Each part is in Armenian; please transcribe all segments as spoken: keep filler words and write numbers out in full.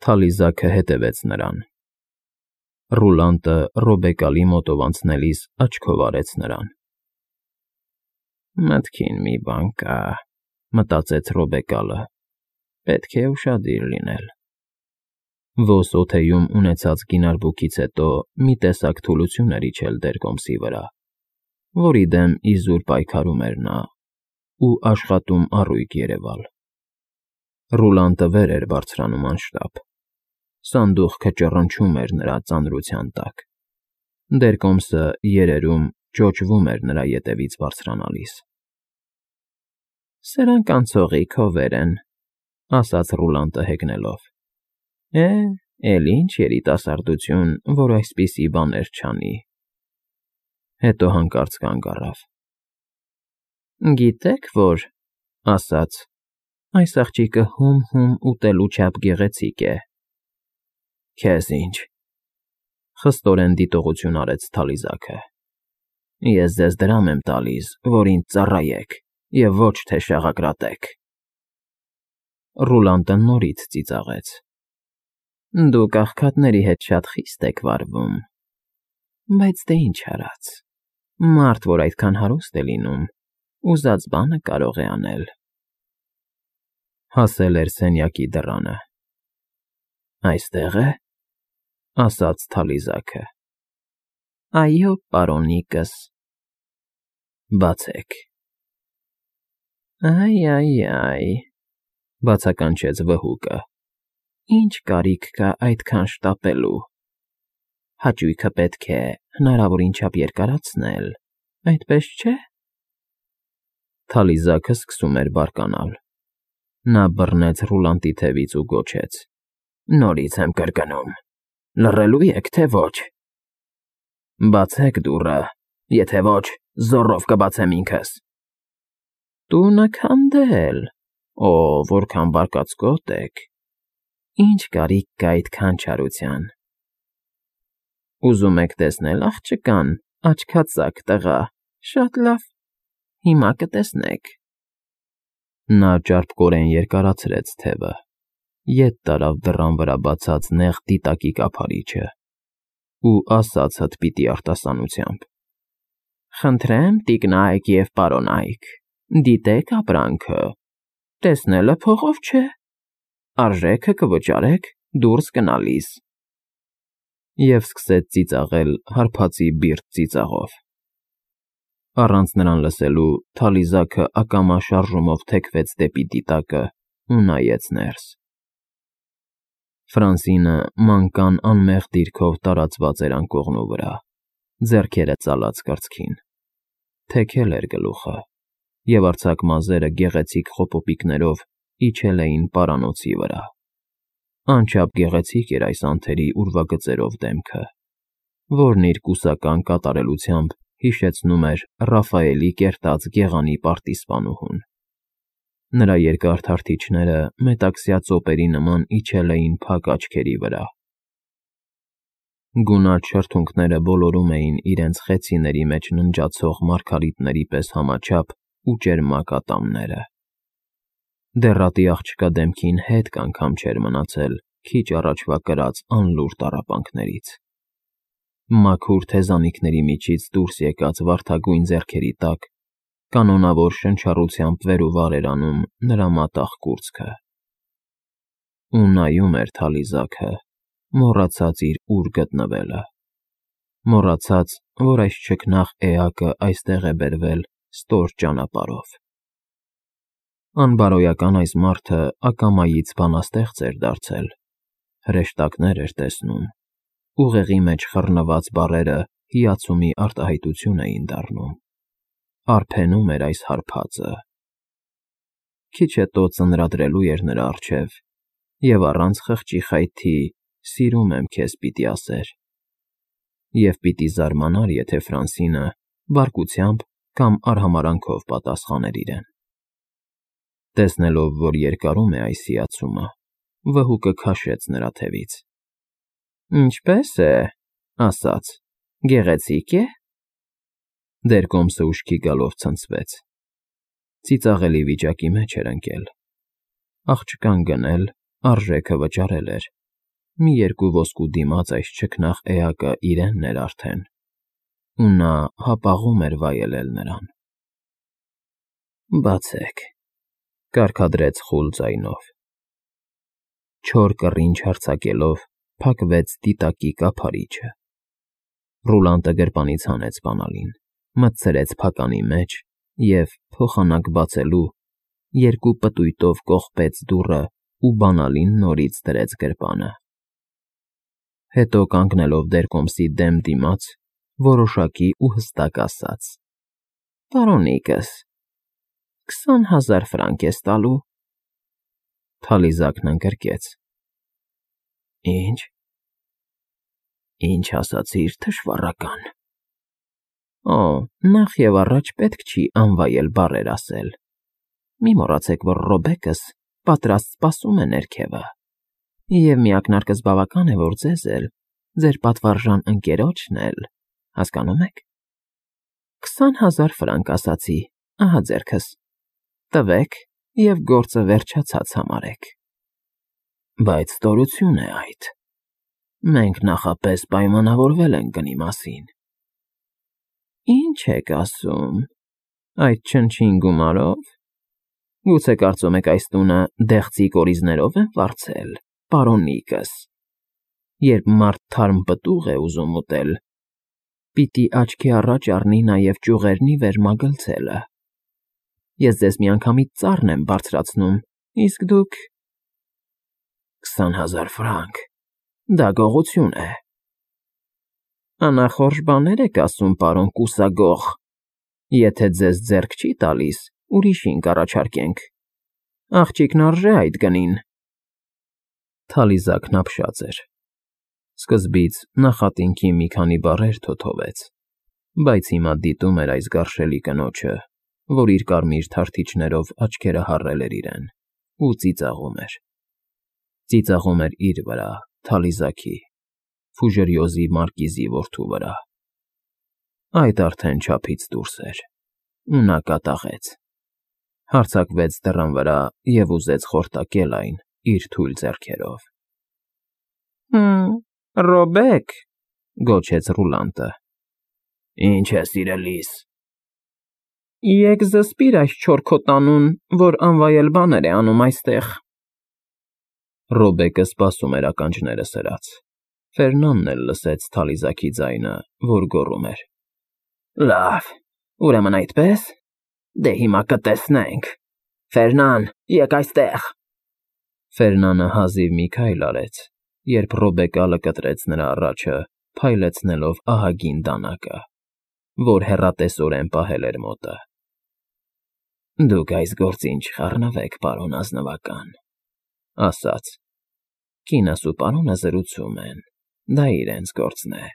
Թալիզակը հետևեց նրան։ Ռուլանտը Ռոբեկալի մոտով անցնելիս աչքով արեց նրան։ «Մտքին մի բան կա», մտածեց Ռոբեկալը, «պետք է ուշադիր լինել»։ Ոսկե օդեում ունեցած գինարբուքից հետո մի տեսակ թուլություն էր իջել Դերկոմսի վրա, որի դեմ իզուր պայքարում էր նա ու աշխատում առույգ երևալ։ Ռուլանտը վեր էր բարձրանում անշտապ։ Սանդուղքը ճռնչում էր նրա ծանրության տակ։ Դերկոմսը երերում ճոճվում էր նրա ետևից բարձրանալիս։ «Սրանք անցողիկ հովեր են», ասաց Ռուլանտը հեգնելով։ «Է, էլ ինչ երիտասարդություն, որ այսպիսի բաներ չանի»։ Հետո հանկարծ կանգ առավ։ «Գիտեք որ,֊ ասաց,֊ այս աղջիկը հում֊հում ուտելու չափ գեղեցիկ է»։ «Քեզ ինչ,֊ խստորեն դիտողություն արեց Թալիզակը,֊ ես ձեզ դրամ եմ տալիս, որ ինձ ծառայեք և ոչ թե շաղակրատեք»։ Ռուլանտը նորից ծիծաղեց։ «Դուք աղքատների հետ շատ խիստ եք վարվում։ Բայց դե ինչ արած, մարդ, որ այդքան հարուստ է լինում, ուզած բանը կարող է անել»։ Հասել էր սենյակի դռանը։ «Այստե՞ղ է,֊ ասաց Թալիզակը։ «Այո, պարոնիկս»։ «Բացեք»։ «Այ֊այ֊այ,֊ բացականչեց վհուկը,֊ ինչ կարիք կա այդքան շտապելու։ Հաճույքը պետք է հնարավորին չափ երկարացնել, այդպես չէ՞։ Թալիզակը սկսում էր բարկանալ։ Նա բռնեց Ռուլանտի թևից ու գոչեց. «Նորից եմ կրկնում, լռելու եք, թե ոչ։ Բացեք դուռը, եթե ոչ, զոռով կբացեմ ինքս»։ «Տունը քանդել, օ, որքան բարկացկոտ եք, ինչ կարիք կա այդքան չարության։ Ուզում եք տեսնել աղջկան, աչքածակ տղա, շատ լավ, հիմա կտեսնեք»։ Նա ճարպկորեն երկարացրեց թևը, ետ տարավ դռան վրա բացած նեղ դիտակի կափարիչը ու ասաց հտպիտի արտասանությամբ. «Խնդրեմ, տիկնայք և պարոնայք, դիտեք ապրանքը, տեսնելը փողով չէ, արժեքը կվճարեք դուրս գնալիս»։ Եվ սկսեց ծիծաղել հարբածի բիրտ ծիծաղով։ Առանց նրան լսելու Թալիզակը ակամա շարժումով թեքվեց դեպի դիտակը ու նայեց ներս։ Ֆրանսինը մանկան անմեղ դիրքով տարածված էր անկողնու վրա, ձեռքերը ծալած կրծքին։ Թեքել էր գլուխը, և արձակ մազերը գեղեցիկ խոպոպիկներով իջել էին պարանոցի վրա։ Անչափ գեղեցիկ էր այս անթերի ուրվագծերով դեմքը, որն իր կուսական կատարելությամբ հիշեցնում էր Ռաֆայելի կերտած գեղանի պարտիզպանուհուն։ Նրա երկար թարթիչները մետաքսյա ծոպերի նման իջել էին փակ աչքերի վրա։ Գունատ շրթունքները ոլորում էին իրենց խեցիների մեջ ննջացող մարգարիտների պես համաչափ ու ճերմակ ատամները։ Դեռատի աղջկա դեմքին հետք անգամ չէր մնացել քիչ առաջվա կրած անլուռ տառապանքներից։ Մաքուր թեզանիքների միջից դուրս եկած վարդագույն ձեռքերի տակ կանոնավոր շնչառությամբ վեր ու վար էր անում նրա մատաղ կուրծքը։ Ու նայում էր Թալիզակը, մոռացած իր ուր գտնվելը, մոռացած, որ այս չքնաղ էակը այստեղ է բերվել ստոր ճանապարհով։ Անբարոյական այս մարդը ակամայից բանաստեղծ էր դարձել, հրեշտակներ էր տեսնում, ուղեղի մեջ խռնված բառերը հիացումի արտահայտություն էին դառնում, արբենում էր այս հարբածը։ Քիչ հետո ծնրադրելու էր նրա առջև և առանց խղճի խայթի «սիրում եմ քեզ» պիտի ասեր, և պիտի զարմանար, եթե Ֆրանսինը բարկությամբ կամ արհամարհանքով պատասխաներ իրեն։ Տեսնելով, որ երկարում է այս հիացումը, վհուկը քաշեց նրա թևից։ «Ինչպե՞ս է,֊ ասաց,֊ գեղեցի՞կ է»։ Դերկոմսը ուշքի գալով ցնցվեց։ Ծիծաղելի վիճակի մեջ էր ընկել։ Աղջկան գնել, արժեքը վճարել էր, մի երկու ոսկու դիմաց այս չքնաղ էակը իրենն էր արդեն, ու նա հապաղում էր վայելել նրան։ «Բացեք», կարգադրեց խուլ ձայնով։ Չոր կռինչ հարձակելով փակվեց դիտակի կափարիչը։ Ռուլանտը գրպանից հանեց բանալին, մտցրեց փականի մեջ և, փոխանակ բացելու, երկու պտույտով կողպեց դուռը ու բանալին նորից դրեց գրպանը։ Հետո կանգնելով դերկոմսի դեմ դիմաց, որոշակի ու հստակ ասաց. «Պարոնիկս, քսան հազար ֆրանկ ես տալու»։ Թալիզակն ընկրկեց. «Ի՞նչ, ի՞նչ ասացիր, թշվառական»։ Օ, նախ և առաջ պետք չի անվայել բառեր ասել։ Մի մոռացեք, որ Ռոբեկս պատրաստ սպասում է ներքևը, և մի ակնարկս բավական է, որ ձեզ էլ, ձեր պատվարժան ընկերոջն էլ, հասկանո՞ւմ եք։ Քսան հազար ֆրանկ ասացի, ահա ձեռքս, տվեք և գործը վերջացած համարեք։ Բայց ստորություն է այդ, մենք նախապես պայմանավորվել ենք գնի մասին։ Ի՞նչ եք ասում, այդ չնչին գումարով։ Գուցե կարծում եք այս տունը դեղցի կորիզներով եմ վարձել, պարոնիկս։ Երբ մարդ թարմ պտուղ է ուզում ուտել, պիտի աչքի առաջ առնի նաև ճյուղերնի վերմագլցելը։ Ես ձեզ միանգամից ծառն եմ բարձրացնում, իսկ դուք… Քսան հազար ֆրանկ, դա գողություն է։ Անախորժ բաներ եք ասում, պարոն կուսագող, եթե ձեզ ձեռք չի տալիս, ուրիշին կառաջարկենք, աղջիկն արժե այդ գնին։ Թալիզակն ապշած էր։ Սկզբից նախատինքի մի քանի բառեր թոթովեց, բայց հիմա դիտում էր այս գարշելի կնոջը, որ իր կարմիր թարթիչներով աչքերը հառել էր իրեն, ու ծիծաղում էր։ Ծիծաղում էր իր վրա, Թալիզակի, Ֆուժերյոզի մարկիզի որդու վրա։ Այդ արդեն չափից դուրս էր, ու նա կատաղեց, հարձակվեց դռան վրա և ուզեց խորտակել այն իր թույլ ձեռքերով։ Հըմ, Ռոբեկ, գոչեց Ռուլանտը։ Ինչ է, սիրելիս։ Եկ զսպիր այս չոր քո տանուն, որ անվայել բաներ է անում այստեղ։ Ռոբեկը սպասում էր ականջները սրած։ Ֆերնանն էլ լսեց Թալիզակի ձայնը, որ գոռում էր. Լավ, ուրեմն այդպես, դե հիմա կտեսնենք, Ֆերնան, եկ այստեղ։ Ֆերնանը հազիվ մի քայլ արեց, երբ Ռոբեկալը կտրեց նրա առաջը, փայլեցնելով ահագին դանակը, որ հեռատեսորեն պահել էր մոտը։ Դուք այս գործին չխառնվեք, պարոն ազնվական, ասաց. Կինս ու պարոնը զրուցում են, դա իրենց գործն է։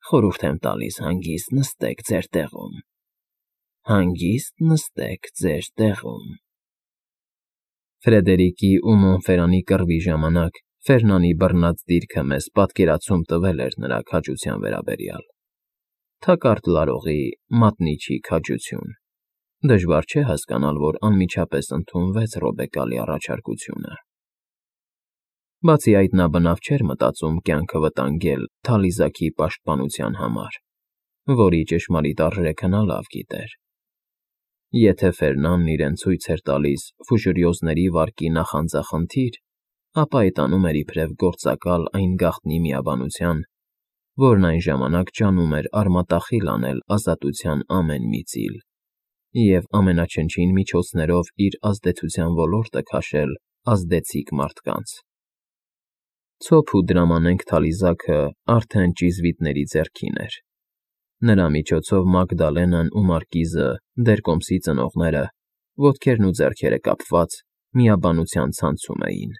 Խորհուրդ եմ տալիս հանգիստ նստեք ձեր տեղում։ Հանգիստ նստեք ձեր տեղում։ Ֆրեդերիկի ու Մոնֆերանի կռվի ժամանակ Ֆերնանի բռնած դիրքը մեզ պատկերացում տվել էր նրա քաջության վերաբերյալ։ Թակարդ լարողի, մատնիչի քաջություն։ Դժվար չէ հասկանալ, որ անմիջապես ընդունվեց Ռոբեկալի առաջարկությունը։ Բացի այդ, նա բնավ չէր մտածում կյանքը վտանգել Թալիզակի պաշտպանության համար, որի ճշմարիտ արժեքը նա լավ գիտեր։ Եթե Ֆերնանն իրեն ցույց էր տալիս Ֆուժերյոզների վարկի նախանձախնդիր, ապա այտանում էր իբրև գործակալ այն գաղտնի միաբանության, որն այն ժամանակ ջանում էր արմատախիլ անել ազատության ամեն մի ծիլ և ամենաչնչին միջոցներով իր ազդեցության ոլորտը քաշել ազդեցիկ մարդկանց։ Ցոփ ու դրամանենք Թալիզակը արդեն ճիզվիտների ձեռքին էր։ Նրա միջոցով Մագդալենան ու Մարկիզը, դերկոմսի ծնողները, ոտքերն ու ձեռքերը կապված, միաբանության ցանցում էին,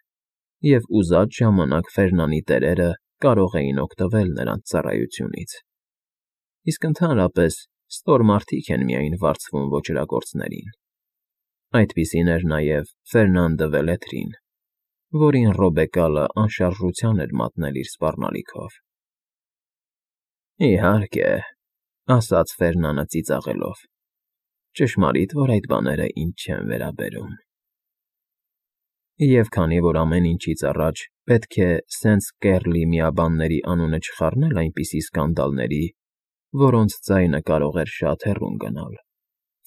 և ուզած ժամանակ Ֆերնանի տերերը կարող էին օգտվել նրանց ծառայությունից։ Իսկ ընդհանրապես ստոր մարդիկ են միայն վարձվում ոճրագործներին։ Այդպիսին էր նաև Ֆերնան դը Վելետրին, որին Ռոբեկալը անշարժության էր մատնել իր սպառնալիքով։ Իհարկե, ասաց Ֆերնանը ծիծաղելով, ճշմարիտ, որ այդ բաները ինձ չեն վերաբերում։ Եվ քանի որ ամեն ինչից առաջ Պետք է սենց կեռլի միաբանների անունը չխառնել այնպիսի սկանդալների, որոնց ձայնը կարող էր շատ հեռուն գնալ։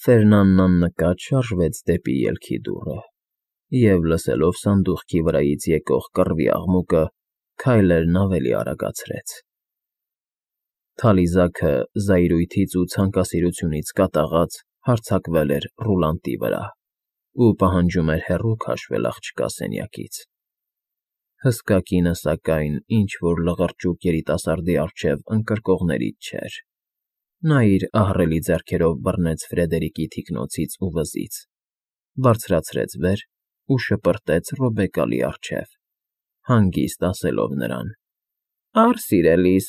Ֆերնանն աննկատ շարժվեց դեպի ելքի դուռը և, լսելով սանդուղքի վրայից եկող կռվի աղմուկը, քայլերն ավելի արագացրեց։ Թալիզաքը զայրույթից ու ցանկասիրությունից կատաղած հարձակվել էր ռուլանտի վրա ու պահանջում էր հեռու քաշվել աղջկա սենյակից։ Հսկա կինը, սակայն, ինչ-որ լղրճուկ երիտասարդի առջև ընկրկողներից չէր։ Նա իր ահռելի ձեռքերով բռնեց Ֆրեդերիկի թիկնոցից ու վզից, բարձրացրեց վեր ու շպրտեց Ռոբեկալի առջև, հանգիստ ասելով նրան. «Առ, սիրելիս,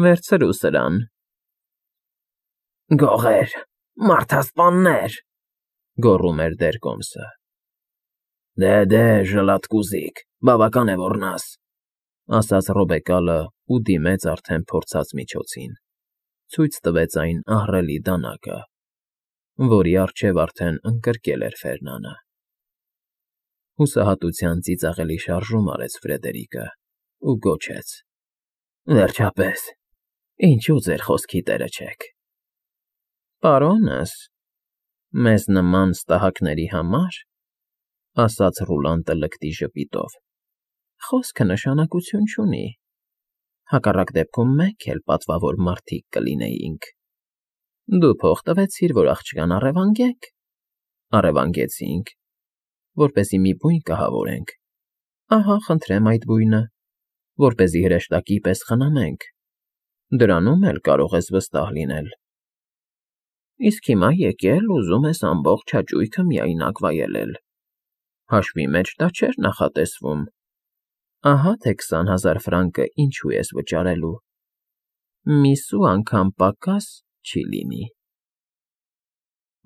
վերցրու սրան»։ «Գողե՜ր, մարդասպաննե՜ր», գոռում էր Դերկոմսը։ «Դե, ժլատկուզիկ, բավական է ոռնաս», ասաց Ռոբեկալը ու դիմեց արդեն փորձած միջոցին, ցույց տվեց այն ահռելի դանակը, որի առջև արդեն ընկրկել էր Ֆերնանը։ Հուսահատության ծիծաղելի շարժում արեց Ֆրեդերիկը ու գոչեց. «Վերջապես, ինչու ձեր խոսքի տերը չեք»։ «Պարոնս, մեզ նման ստահակների համար, ֊ ասաց Ռուլանտը լկտի ժպիտով, ֊ խոսքը նշանակություն չունի, հակառակ դեպքում մենք էլ պատվավոր մարդիկ կլինեինք։ Դու փող տվեցիր, որ աղջկան առևանգենք, առևանգեցինք, որպեսզի մի բույն կահավորենք, ահա, խնդրեմ այդ բույնը, որպեսզի հրեշտակի պես խնամենք, դրանում էլ կարող ես վստահ լինել։ Իսկ հիմա եկել, ուզում ես ամբողջ հաճույքը միայնակ վայելել, հաշվի մեջ դա չէր նախատեսվում, ահա թե քսան հազար ֆրանկը ինչու ես վճարելու, մի սու անգամ պակաս չի լինի»։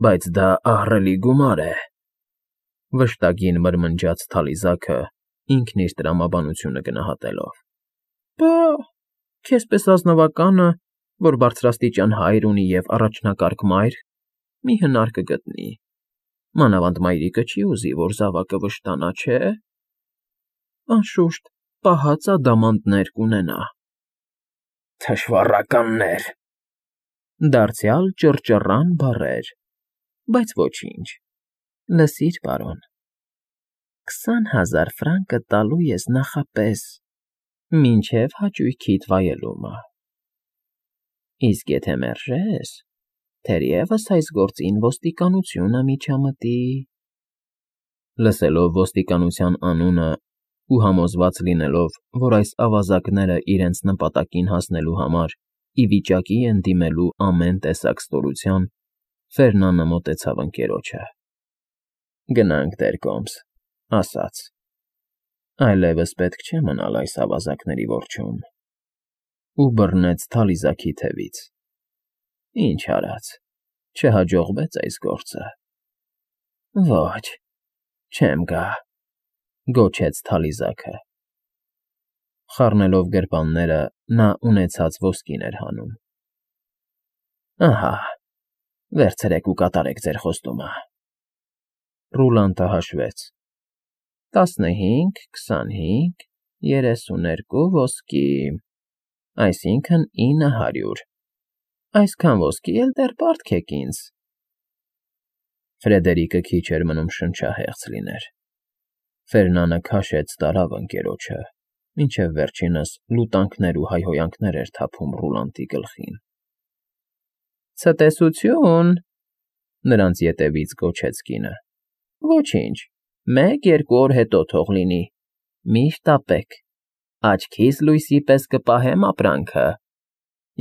«Բայց դա ահռելի գումար է», ֊ վշտագին մրմնջաց Թալիզաքը, ինքն իր տրամաբանությունը գնահատելով։ «Պա, քեզ պես ազնվականը, որ բարձրաստիճան հայր ունի և առաջնակարգ մայր, մի հնար կգտնի, մանավանդ մայրիկը չի ուզի, որ զավակը վշտանա, չէ՞։ Անշուշտ, պահած ադամանդներ կունենա»։ «Թշվառականներ», դարձյալ ճռճռան բառեր, բայց ոչինչ, լսիր, պարոն, քսան հազար ֆրանկը տալու ես նախապես, մինչև հաճույքիդ վայելումը, իսկ եթե մերժես, թերևս այս գործին ոստիկանությունը միջամտի»։ Լսելով ոստիկանության անունը ու համոզված լինելով, որ այս ավազակները իրենց նպատակին հասնելու համար ի վիճակի են դիմելու ամեն տեսակ ստորության, Ֆերնանը մոտեցավ ընկերոջը։ «Գնանք, Դերկոմս», ասաց, «այլևս պետք չէ մնալ այս ավազակների որջում», ու բռնեց Թալիզաքի թևից։ «Ինչ արած, չհաջողվեց այս գործը»։ «Ոչ, չեմ գա», գոչեց Թալիզաքը։ Խառնելով գրպանները՝ նա ունեցած ոսկին էր հանում։ «Ահա, վերցրեք ու կատարեք ձեր խոստումը»։ Ռուլանտը հաշվեց. «տասնհինգ, քսանհինգ, երեսուներկու ոսկի, այսինքն՝ ինը հարյուր, այսքան ոսկի էլ դեռ պարտք եք ինձ»։ Ֆրեդերիկը քիչ էր մնում շնչահեղձ լիներ։ Ֆերնանը քաշեց տարավ ընկերոջը, մինչև վերջինս լուտանքներ ու հայհոյանքներ էր թափում Ռուլանտի գլխին։ «Ցտեսությո՛ւն», ֊ նրանց ետևից գոչեց կինը։ «Ոչինչ, մեկ֊երկու օր հետո թող լինի, միշտ տապեք, աչքիս լույսի պես կպահեմ ապրանքը»,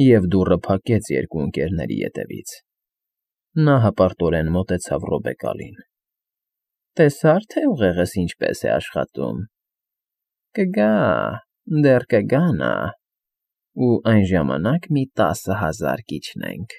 և դուռը փակեց երկու ընկերների ետևից։ Նա հպարտորեն մոտեցավ Ռոբեկալին։ «Տեսա՞ր, թե ուղեղս ինչպես է աշխատում։ Կգա, դեռ կգա նա, ու այն ժամանակ մի տասը հազար կիջնենք»։